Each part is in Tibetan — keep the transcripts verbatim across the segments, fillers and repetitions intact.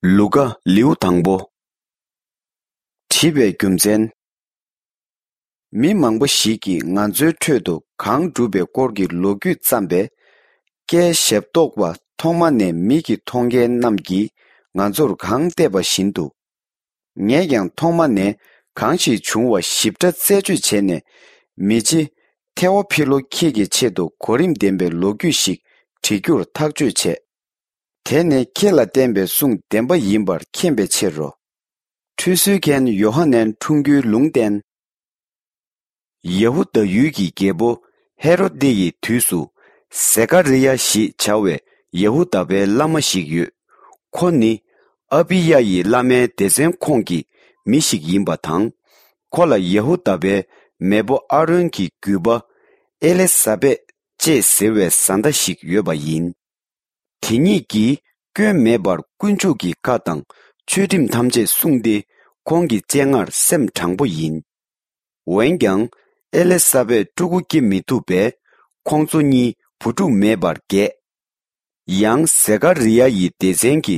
ལུ་ཀ། ལེའུ་དང་པོ། བྲིས་པའི་རྒྱུ་མཚན། མི་མང་པོ་ཞིག་གིས་ང་ཚོའི་ཁྲོད་དུ་གང་བསྒྲུབས་པའི་སྐོར་གྱི་ལོ་རྒྱུས་བརྩམས་པས། ཀྱེ་ཞབས་ཏོག་པ། ཐོག་མ་ནས་མིག་གིས་མཐོང་མཁན་རྣམས་ཀྱིས་ང་ཚོར་གང་བལྟས་པ་བཞིན་དུ། ངས་ཀྱང་ཐོག་མ་ནས་གང་ཞིག་བྱུང་བ་ཞིབ་ཕྲ་རྩད་གཅོད་བྱས་ནས། མི་རྗེ་ཐེ་ཝོ་ཕི་ལོ་ཁྱེད་ཀྱི་ཆེད་དུ་གོ་རིམ་ལྡན་པའི་ལོ་རྒྱུས་ཤིག་བྲི་རྒྱུར་ཐག་གཅོད་བྱས། དེ་ནི་ཁྱེད་ལ་བསྟན་པའི་གསུང་བདེན་པ་ཡིན་པར་མཁྱེན་པའི་ཕྱིར་རོ། ཁྲུས་གསོལ་མཁན་ཡོ་ཧ་ནན་འཁྲུངས་རྒྱུའི་ལུང་བསྟན། ཡ་ཧུ་དཱ་ཡུལ་གྱི་རྒྱལ་པོ་ཧེ་རོ་དེ་ཡི་དུས་སུ། ཟེ་ཀ་རི་ཡ་ཞེས་བྱ་བའི་ཡ་ཧུ་དཱ་པའི་བླ་མ་ཞིག་ཡོད། ཁོ་ནི་ཨ་བི་ཡ་ཡི་བླ་མའི་སྡེ་ཚན་ཁོངས་ཀྱི་མི་ཞིག་ཡིན་པ་དང་། ཁོ་ལ་ཡ་ཧུ་དཱ་པའི་མེས་པོ་ཨ་རོན་གྱི་རྒྱུད་པ་ཨེ་ལེ་ས་བེད་ཅེས་ཟེར་བའི་བཟའ་ཟླ་ཞིག་ཡོད་པ་ཡིན། དེ་ཉིད་ཀྱིས་སྐྱོན་མེད་པར་དཀོན་མཆོག་གི་བཀའ་དང་ཆོས་ཁྲིམས་ཐམས་ཅད་བསྲུངས་ཏེ། ཁོང་གི་སྤྱན་སྔར་སེམས་དྲང་པོ་ཡིན། འོན་ཀྱང་ཨེ་ལེ་ས་བེད་ཕྲུ་གུ་སྐྱེ་མི་ཐུབ་པས། ཁོང་ཚོ་གཉིས་བུ་ཕྲུག་མེད་པར་རྒས། ཡང་ཟེ་ཀ་རི་ཡ་ཡི་སྡེ་ཚན་གྱི་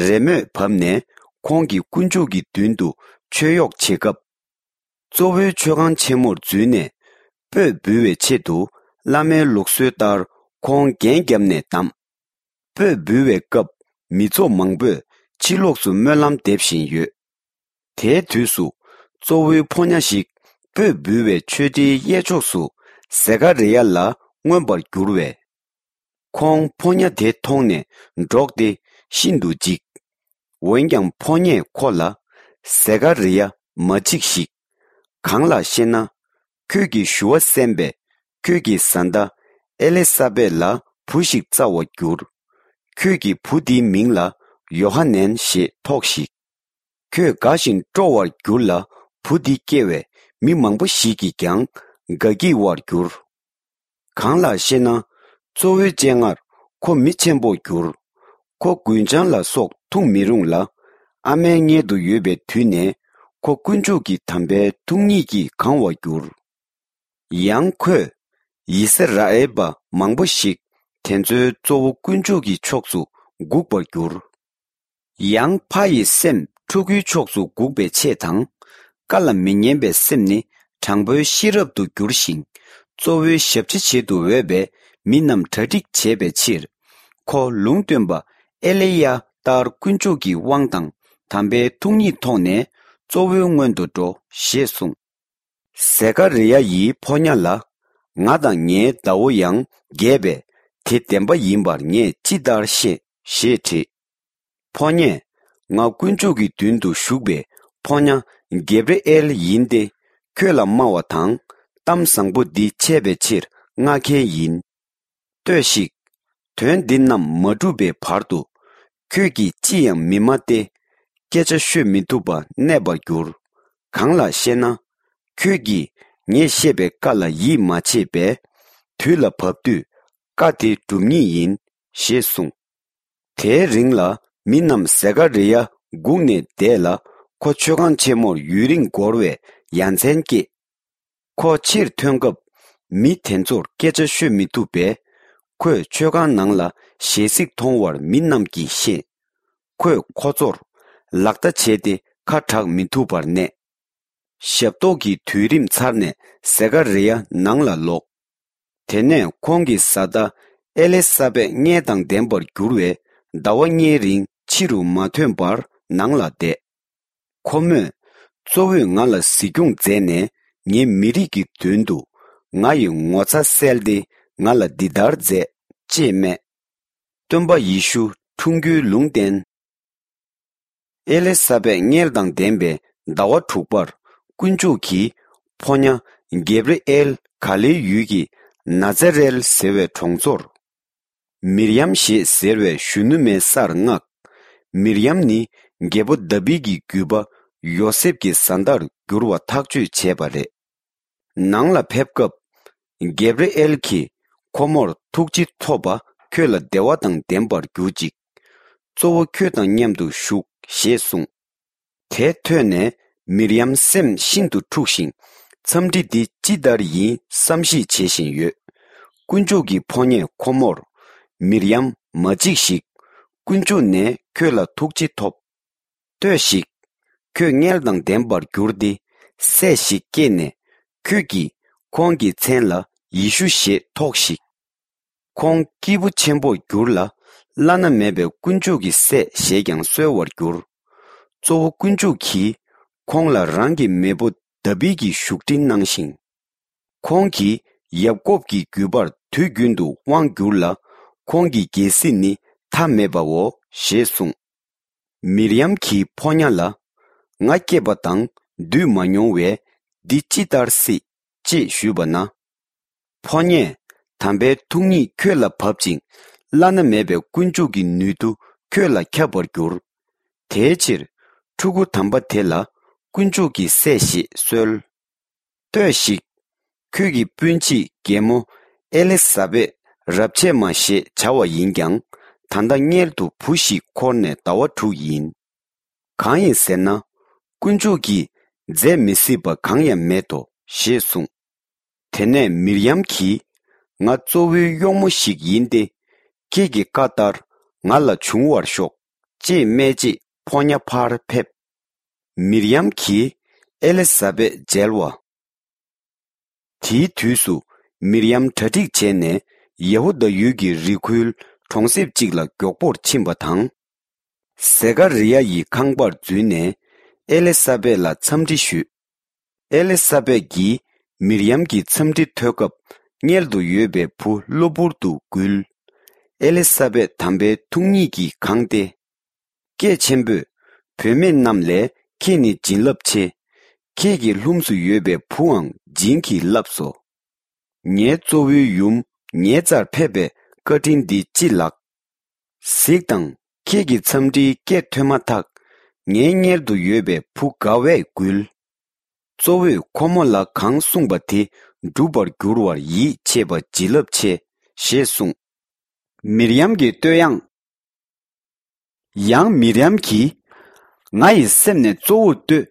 རེས་མོས་བབས་ནས། ཁོང་གིས་དཀོན་མཆོག་གི་མདུན་དུ་མཆོད་གཡོག་བྱེད་སྐབས། གཙོ་བོའི་མཆོད་ཁང་ཆེན་མོར་འཛུལ་ནས། སྤོས་འབུལ་བའི་ཆེད་དུ་བླ་མའི་ལུགས་སྲོལ་ལྟར་ཁོང་རྒྱན་བརྒྱབ་ནས་བསྡམས། སྤོས་འབུལ་བའི་སྐབས་མི་ཚོགས་མང་པོས་ཕྱི་ལོགས་སུ་སྨོན་ལམ་འདེབས་བཞིན་ཡོད། དེའི་དུས་སུ་གཙོ་བོའི་ཕོ་ཉ་ཞིག་སྤོས་འབུལ་བའི་མཆོད་ཁྲིའི་གཡས་ཕྱོགས་སུ་ཟེ་ཀ་རི་ཡ་ལ་མངོན་པར་གྱུར་བས། ཁོང་ཕོ་ཉ་དེ་མཐོང་ནས་འདྲོགས་ཏེ་ཤིན་ཏུ་འཇིགས། འོན་ཀྱང་ཕོ་ཉས་ཁོ་ལ། ཟེ་ཀ་རི་ཡ། མ་འཇིགས་ཤིག། གང་ལགས་ཤེ་ན། ཁྱོད་ཀྱི་ཞུ་བ་གསན་པས། ཁྱོད་ཀྱི་བཟའ་ཟླ་ཨེ་ལེ་ས་བེད་ལ་བུ་ཞིག་བཙའ་བར་འགྱུར། ཁྱོད་ཀྱི་བུ་དེའི་མིང་ལ་ཡོ་ཧ་ནན་ཞེས་ཐོགས་ཤིག། ཁྱོད་དགའ་ཞིང་སྤྲོ་བར་འགྱུར་ལ། བུ་འདི་སྐྱེ་བས་མི་མང་པོ་ཞིག་གིས་ཀྱང་དགའ་སྐྱིད་པར་འགྱུར། གང་ལགས་ཤེ་ན། གཙོ་བོའི་སྤྱན་སྔར་ཁོ་མི་ཆེན་པོར་འགྱུར། ཁོ་རྒུན་ཆང་ལ་སོགས་འཐུང་མི་རུང་ལ། ཨ་མའི་མངལ་དུ་ཡོད་པའི་དུས་ནས་ཁོ་དཀོན་མཆོག་གི་དམ་པའི་ཐུགས་ཉིད་ཀྱིས་གང་བར་འགྱུར། ཡང་ཁོས་ཡི་སི་ར་ཨེལ་པ་མང་པོ་ཞིག་དེ་ཚོའི་གཙོ་བོ་དཀོན་མཆོག་གི་ཕྱོགས་སུ་འགུག་པར་འགྱུར། ཡང་ཕ་ཡི་སེམས་ཕྲུ་གུའི་ཕྱོགས་སུ་འགུག་པའི་ཆེད་དང་། བཀའ་ལ་མི་ཉན་པའི་སེམས་ནི་དྲང་པོའི་ཤེས་རབ་ཏུ་འགྱུར་ཞིང་། གཙོ་བོའི་ཞབས་ཕྱི་བྱེད་དུ་འོས་པའི་མི་རྣམས་གྲ་སྒྲིག་བྱེད་པའི་ཕྱིར། ཁོ་ལུང་སྟོན་པ་ཨེ་ལེ་ཡ་ལྟར་དཀོན་མཆོག་གི་དབང་དང་དམ་པའི་ཐུགས་ཉིད་ཐོག་ནས་གཙོ་བོའི་སྔོན་དུ་འགྲོ་ཞེས་གསུངས། ཟེ་ཀ་རི་ཡ་ཡིས་ཕོ་ཉ་ལ། ང་དང་ངའི་ཟླ་བོ་ཡང་རྒས་པས་དེ་བདེན་པ་ཡིན་པར་ངས་ཅི་ལྟར་ཤེས་ཞེས་དྲིས། ཕོ་ཉས། ང་དཀོན་མཆོག་གི་མདུན་དུ་བཞུགས་པའི་ཕོ་ཉ་གེབ་རི་ཨེལ་ཡིན་ཏེ། ཁྱོད་ལ་སྨྲ་བ་དང་གཏམ་བཟང་པོ་འདི་འཆད་པའི་ཕྱིར་མངགས་མཁན་ཡིན། ལྟོས་ཤིག། དོན་འདི་རྣམས་མ་འགྲུབ་པའི་བར་དུ། ཁྱོད་ཀྱིས་ཅི་ཡང་མི་སྨྲ་སྟེ། སྐད་ཆ་ཤོད་མི་ཐུབ་པ་གནས་པར་འགྱུར། གང་ལགས་ཤེ་ན། ཁྱོད་ཀྱིས་ངས་བཤད་པའི་བཀའ་ལ་ཡིད་མ་ཆེས་པས། དུས་ལ་བབ་དུས་བཀའ་དེ་འགྲུབ་ངེས་ཡིན་ཞེས་གསུངས། དེའི་རིང་ལ་མི་རྣམས་ཟེ་ཀ་རི་ཡ་སྒུག་ནས་བསྡད་ལ། ཁོ་མཆོད་ཁང་ཆེན་མོར་ཡུན་རིང་འགོར་བའི་ཡ་མཚན་སྐྱེས། ཁོ་ཕྱིར་ཐོན་སྐབས་མི་དེ་ཚོར་སྐད་ཆ་ཤོད་མི་ཐུབ་པས། ཁོས་མཆོད་ཁང་ནང་ལ་ཞལ་གཟིགས་མཐོང་བར་མི་རྣམས་ཀྱིས་ཤེས། ཁོས་ཁོ་ཚོར་ལག་བརྡ་བྱས་ཏེ་ཁ་གྲག་མི་ཐུབ་པར་གནས། ཞབས་ཏོག་གི་དུས་རིམ་ཚར་ནས་ཟེ་ཀ་རི་ཡ་ནང་ལ་ལོག། དེ་ནས་ཁོང་གི་བཟའ་ཟླ་ཨེ་ལེ་ས་བེད་མངལ་དང་ལྡན་པར་འགྱུར་བས། ཟླ་བ་ལྔའི་རིང་ཕྱི་རུ་མ་ཐོན་པར་ནང་ལ་བསྡད། ཁོ་མོས། གཙོ་བོས་ང་ལ་གཟིགས་སྐྱོང་མཛད་ནས། ངའི་མི་རིགས་ཀྱི་མདུན་དུ་ང་ཡི་ངོ་ཚ་བསལ་ཏེ། ང་ལ་འདི་ལྟར་མཛད། ཅེས་སྨྲས། སྟོན་པ་ཡེ་ཤུ་འཁྲུངས་རྒྱུའི་ལུང་བསྟན། ཨེ་ལེ་ས་བེད་མངལ་དང་ལྡན་པའི་ཟླ་བ་དྲུག་པར། དཀོན་མཆོག་གིས་ཕོ་ཉ་གེབ་རི་ཨེལ་ག་ལེའི་ཡུལ་གྱི་ན་ཛ་རེལ་ཟེར་བའི་གྲོང་ཚོར། མིར་ཡམ་ཞེས་ཟེར་བའི་གཞོན་ནུ་མའི་སར་མངགས། མིར་ཡམ་ནི་རྒྱལ་པོ་དཱ་བིད་ཀྱི་རྒྱུད་པ་ཡོ་སེབ་ཀྱི་བཟའ་ཟླར་འགྱུར་བ་ཐག་གཅོད་བྱས་པ་རེད། ནང་ལ་ཕེབས་སྐབས། གེབ་རི་ཨེལ་གྱིས་ཁོ་མོར་ཐུགས་རྗེ་ཐོབ་པ། ཁྱོད་ལ་བདེ་བ་དང་ལྡན་པར་གྱུར་ཅིག། གཙོ་བོ་ཁྱོད་དང་མཉམ་དུ་བཞུགས་ཞེས་གསུངས། དེ་ཐོས་ནས་མིར་ཡམ་སེམས་ཤིན་ཏུ་འཁྲུགས་ཤིང་། འཚམས་འདྲི་འདི་ཅི་ལྟར་ཡིན་བསམ་གཞིག་བྱེད་བཞིན་ཡོད། དཀོན་མཆོག་གི་ཕོ་ཉས་ཁོ་མོར། མིར་ཡམ་མ་འཇིགས་ཤིག། དཀོན་མཆོག་ནས་ཁྱོད་ལ་ཐུགས་རྗེ་ཐོབ། ལྟོས་ཤིག། ཁྱོད་མངལ་དང་ལྡན་པར་འགྱུར་ཏེ། སྲས་ཤིག་སྐྱེས་ནས། ཁྱོད་ཀྱིས་ཁོང་གི་མཚན་ལ་ཡེ་ཤུ་ཞེས་ཐོགས་ཤིག། ཁོང་སྐྱེས་བུ་ཆེན་པོར་འགྱུར་ལ། བླ་ན་མེད་པའི་དཀོན་མཆོག་གི་སྲས་ཞེས་ཀྱང་གསོལ་བར་འགྱུར། གཙོ་བོ་དཀོན་མཆོག་གིས་ཁོང་ལ་རང་གི་མེས་པོ་དཱ་བིད་ཀྱི་བཞུགས་ཁྲི་གནང་ཞིང་། ཁོང་གིས་ཡབ་ཀོབ་ཀྱི་རྒྱུད་པར་དུས་རྒྱུན་དུ་དབང་བསྒྱུར་ལ། ཁོང་གི་རྒྱལ་སྲིད་ནི་མཐའ་མེད་པའོ་ཞེས་གསུངས། མིར་ཡམ་གྱིས་ཕོ་ཉ་ལ། ང་སྐྱེས་པ་དང་འདུས་མ་མྱོང་བས་འདི་ཅི་ལྟར་སྲིད་ཅེས་ཞུས་པ་ན། ཕོ་ཉས་དམ་པའི་ཐུགས་ཉིད་ཁྱོད་ལ་བབ་ཅིང་། བླ་ན་མེད་པའི་དཀོན་མཆོག་གི་ནུས་མཐུ་ཁྱོད་ལ་ཁྱབ་པར་འགྱུར། དེའི་ཕྱིར་ཕྲུ་གུ་དམ་པ་དེ་ལ་དཀོན་མཆོག་གི་སྲས་ཞེས་གསོལ། ལྟོས་ཤིག། ཁྱོད་ཀྱི་སྤུན་མཆེད་རྒན་མོ་ཨེ་ལི་ས་བེད་རབས་ཆད་མ་ཞེས་བྱ་བ་ཡིན་ཀྱང་། ད་ལྟ་མངལ་དུ་བུ་ཞིག་འཁོར་ནས་ཟླ་བ་དྲུག་ཡིན། གང་ཡིན་ཟེར་ན། དཀོན་མཆོག་གིས་མཛད་མི་སྲིད་པ་གང་ཡང་མེད་དོ་ཞེས་གསུངས། དེ་ནས་མིར་ཡམ་གྱིས། ང་གཙོ་བོའི་གཡོག་མོ་ཞིག་ཡིན་ཏེ། ཁྱེད་ཀྱི་བཀའ་ལྟར་ང་ལ་འབྱུང་བར་ཤོག་ཅེས་སྨྲས་རྗེས་ཕོ་ཉ་ཕར་ཕེབས། མིར་ཡམ་གྱིས་ཨེ་ལི་ས་བེད་མཇལ་བ། དེའི་དུས་སུ་མིར་ཡམ་གྲ་སྒྲིག་བྱས་ནས་ཡ་ཧུ་དཱ་ཡུལ་གྱི་རི་ཁུལ་གྲོང་གསེབ་ཅིག་ལ་མགྱོགས་པོར་ཕྱིན་པ་དང་། ཟེ་ཀ་རི་ཡ་ཡི་ཁང་པར་འཛུལ་ནས་ཨེ་ལི་ས་བེད་ལ་འཚམས་འདྲི་ཞུས། ཨེ་ལི་ས་བེད་ཀྱིས་མིར་ཡམ་གྱི་འཚམས་འདྲི་ཐོས་སྐབས། མངལ་དུ་ཡོད་པའི་བུ་གློ་བུར་དུ་འགུལ། ཨེ་ལི་ས་བེད་དམ་པའི་ཐུགས་ཉིད་ཀྱིས་གང་སྟེ། སྐད་ཆེན་པོས། བུད་མེད་རྣམས་ལས་ཁྱེད་ནི་བྱིན་རླབས་ཆེ། ཁྱེད་ཀྱི་ལྷུམས་སུ་ཡོད་པའི་བུའང་བྱིན་གྱིས་བརླབས་སོ། ངའི་གཙོ་བོའི་ཡུམ་ངའི་རྩར་ཕེབས་པའི་བཀའ་དྲིན་འདི་ཅི་ལགས། གཟིགས་དང་། ཁྱེད་ཀྱི་འཚམས་འདྲིའི་སྐད་ཐོས་མ་ཐག་ངའི་མངལ་དུ་ཡོད་པའི་བུ་དགའ་བས་འགུལ། གཙོ་བོས་ཁོ་མོ་ལ་གང་གསུངས་པ་དེ་འགྲུབ་པར་འགྱུར་བར་ཡིད་ཆེས་པ་བྱིན་རླབས་ཆེ་ཞེས་གསུངས། མིར་ཡམ་གྱི་བསྟོད་དབྱངས། ཡང་མིར་ཡམ་གྱིས། ང་ཡི་སེམས་ནས་གཙོ་བོར་བསྟོད།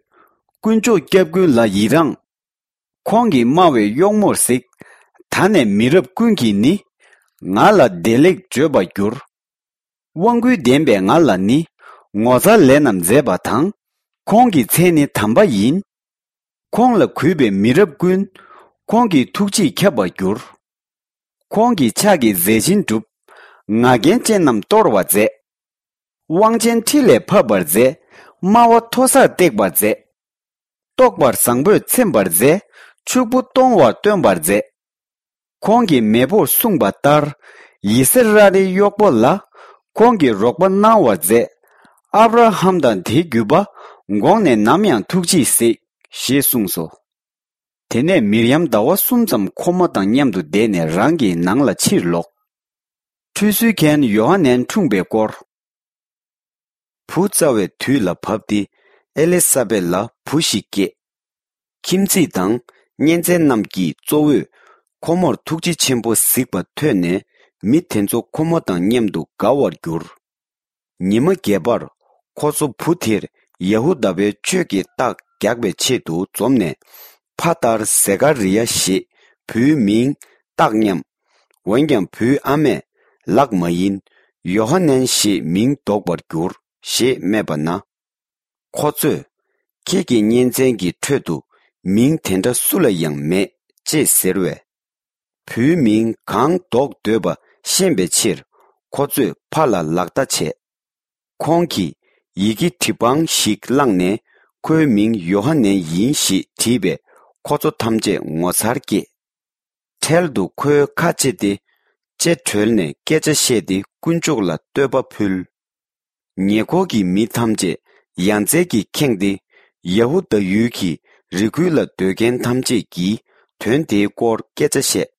དཀོན་མཆོག་སྐྱབས་མགོན་ལ་ཡི་རངས། ཁོང་གིས་དམའ་བའི་གཡོག་མོར་གཟིགས། ད་ནས་མི་རབས་ཀུན་གྱིས་ནི། ང་ལ་བདེ་ལེགས་བརྗོད་པར་འགྱུར། དབང་སྐུར་ལྡན་པས་ང་ལ་ནི། ངོ་མཚར་ལས་རྣམས་མཛད་པ་དང་། ཁོང་གི་མཚན་ནི་དམ་པ་ཡིན། ཁོང་ལ་གུས་པའི་མི་རབས་ཀུན། ཁོང་གི་ཐུགས་རྗེས་ཁྱབ་པར་འགྱུར། ཁོང་གི་ཕྱག་གིས་མཛད་ཆེན་བསྒྲུབས། ང་རྒྱལ་ཅན་རྣམས་གཏོར་བར་མཛད། དབང་ཆེན་ཁྲི་ལས་ཕབ་པར་མཛད། དམའ་བ་མཐོ་སར་བཏེགས་པར་མཛད། རྟོགས་པར་བཟང་པོས་ཚིམ་པར་མཛད། ཕྱུག་པོ་གཏོང་བར་སྟོན་པར་མཛད། ཁོང་གི་མེས་པོར་གསུངས་པ་ལྟར། ཡི་སི་ར་ཨེལ་གཡོག་པོ་ལ། ཁོང་གིས་རོགས་པ་གནང་བར་མཛད། ཨབ་ར་ཧམ་དང་དེའི་རྒྱུད་པ། དགོངས་ནས་ནམ་ཡང་ཐུགས་རྗེས་གཟིགས། ཞེས་གསུངས་སོ། དེ་ནས་མིར་ཡམ་ཟླ་བ་གསུམ་ཙམ་ཁོ་མོ་དང་མཉམ་དུ་བསྡད་ནས་རང་གི་ནང་ལ་ཕྱིར་ལོག། ཁྲུས་གསོལ་མཁན་ཡོ་ཧ་ནན་འཁྲུངས་པའི་སྐོར། བུ་བཙའ་བའི་དུས་ལ་བབ་སྟེ་ཨེ་ལི་ས་བེད་ལ་བུ་ཞིག་སྐྱེས། ཁྱིམ་མཚེས་དང་གཉེན་ཚན་རྣམས་ཀྱིས་གཙོ་བོས་ཁོ་མོར་ཐུགས་རྗེ་ཆེན་པོ་གཟིགས་པ་ཐོས་ནས་མི་དེ་ཚོ་ཁོ་མོ་དང་མཉམ་དུ་དགའ་བར་གྱུར། ཉི་མ་བརྒྱད་པར་ཁོ་ཚོ་བུ་དེར་ཡ་ཧུ་དཱ་པའི་ཆོས་ཀྱི་རྟགས་རྒྱག་པའི་ཆེད་དུ་འཛོམས་ནས། ཕ་ལྟར་ཟེ་ཀ་རི་ཡ་ཞེས་བུའི་མིང་བཏགས་སྙམ། འོན་ཀྱང་བུའི་ཨ་མས་ལགས་མ་ཡིན། ཡོ་ཧ་ནན་ཞེས་མིང་འདོགས་པར་འགྱུར་ཞེས་སྨྲས་པ་ན། ཁོ་ཚོས། ཁྱེད་ཀྱི་གཉེན་ཚན་གྱི་ཁྲོད་དུ་མིང་དེ་འདྲ་སུ་ལ་ཡང་མེད་ཅེས་ཟེར་བས། བུའི་མིང་གང་འདོགས་འདོད་པ་ཤེས་པའི་ཕྱིར་ཁོ་ཚོས་ཕ་ལ་ལག་བརྡ་བྱས། ཁོང་གིས་ཡི་གེ་བྲིས་པང་ཞིག་བླངས་ནས་ཁོའི་མིང་ཡོ་ཧ་ནན་ཡིན་ཞེས་བྲིས་པས་ཁོ་ཚོ་ཐམས་ཅད་ངོ་མཚར་སྐྱེས། འཕྲལ་དུ་ཁོའི་ཁ་ཕྱེ་སྟེ་ལྕེ་གྲོལ་ནས་སྐད་ཆ་བཤད་དེ་དཀོན་མཆོག་ལ་བསྟོད་པ་ཕུལ། ཉེ་འཁོར་གྱི་མི་ཐམས་ཅད་ཡ་མཚན་གྱིས་ཁེངས་ཏེ། ཡ་ཧུ་དཱ་ཡུལ་གྱི་རི་ཁུལ་ལ་སྡོད་མཁན་ཐམས་ཅད་ཀྱིས་དོན་དེའི་སྐོར་སྐད་ཆ་བཤད།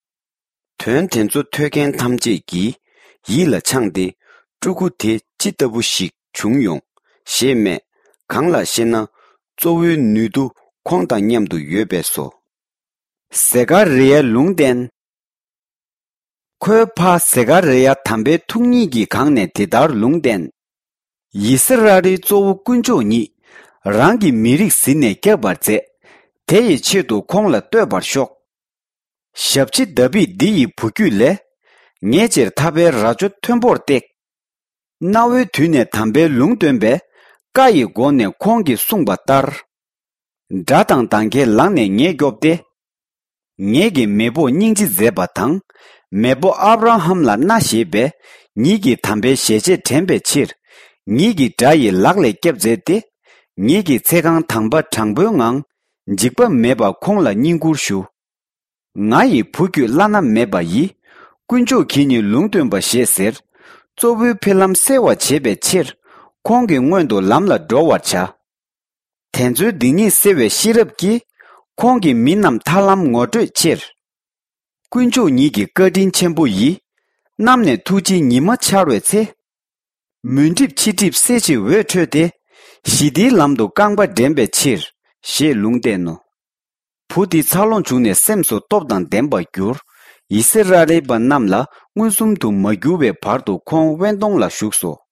དོན་དེ་ཚོ་ཐོས་མཁན་ཐམས་ཅད་ཀྱིས་ཡིད་ལ་འཆང་སྟེ། ཕྲུ་གུ་དེ་ཅི་ལྟ་བུ་ཞིག་བྱུང་ཡོང་ཞེས་སྨྲས། གང་ལགས་ཤེ་ན། གཙོ་བོའི་ནུས་མཐུ་ཁོང་དང་མཉམ་དུ་ཡོད་པས་སོ། ཟེ་ཀ་རི་ཡའི་ལུང་བསྟན། ཁོའི་ཕ་ཟེ་ཀ་རི་ཡ་དམ་པའི་ཐུགས་ཉིད་ཀྱིས་གང་ནས་འདི་ལྟར་ལུང་བསྟན། ཡི་སི་ར་ཨེལ་གཙོ་བོ་དཀོན་མཆོག་ཉིད། རང་གི་མི་རིགས་ཟིན་ནས་སྐྱབས་པར་མཛད། དེ་ཡི་ཆེད་དུ་ཁོང་ལ་བསྟོད་པར་ཤོག། ཞབས་ཕྱི་དཱ་བིད་འདི་ཡི་བུ་རྒྱུད་ལས། ངེད་ཅེར་ཐར་པའི་རྭ་ཅོ་མཐོན་པོར་བཏེགས། གནའ་བོའི་དུས་ནས་དམ་པའི་ལུང་སྟོན་པས། བཀའ་ཡི་སྒོ་ནས་ཁོང་གིས་གསུངས་པ་ལྟར། དགྲ་དང་འདང་ཁའི་ལག་ནས་ངེད་སྐྱོབ་སྟེ། ངེད་ཀྱི་མེས་པོར་སྙིང་རྗེ་མཛད་པ་དང་། མེས་པོ་ཨབ་ར་ཧམ་ལ་མནའ་བཞེས་པས། ཉིད་ཀྱི་དམ་པའི་ཞལ་ཆད་དྲན་པའི་ཕྱིར། ཉིད་ཀྱི་དགྲ་ཡི་ལག་ལས་སྐྱབས་མཛད་དེ། ཉིད་ཀྱི་ཚེ་གང་དང་པ་དྲང་པོའི་ངང་། འཇིགས་པ་མེད་པར་ཁོང་ལ་བསྙེན་བཀུར་ཞུ། ང་ཡི་བུ་ཁྱོད་བླ་ན་མེད་པ་ཡིས། དཀོན་མཆོག་གིས་ནི་ལུང་སྟོན་པ་ཞེས་ཟེར། གཙོ་བོའི་འཕེལ་ལམ་གསལ་བར་བྱེད་པའི་ཕྱིར། ཁོང་གི་སྔོན་དུ་ལམ་ལ་འགྲོ་བར་བྱ། དེ་ཚོའི་སྡིག་ཉེས་སེལ་བའི་ཤེས་རབ་ཀྱིས། ཁོང་གིས་མི་རྣམས་ཐར་ལམ་ངོ་སྤྲོད་ཕྱིར། དཀོན་མཆོག་ཉིད་ཀྱི་བཀའ་དྲིན་ཆེན་པོ་ཡིས། གནམ་ནས་ཐུགས་རྗེའི་ཉི་མ་འཆར་བའི་ཚེ། མུན་གྲིབ་འཆི་གྲིབ་སེལ་ཕྱིར་འོད་འཕྲོས་ཏེ། ཞི་བདེའི་ལམ་དུ་རྐང་པ་འདྲེན་པའི་ཕྱིར། ཞེས་ལུང་བསྟན་ནོ། བུ་འདི་འཚར་ལོངས་བྱུང་ནས་སེམས་སུ་སྟོབས་དང་ལྡན་པར་གྱུར། ཡི་སི་ར་ཨེལ་པ་རྣམས་ལ་མངོན་སུམ་དུ་མ་གྱུར་བའི་བར་དུ་ཁོང་དབེན་སྟོང་ལ་བཞུགས་སོ།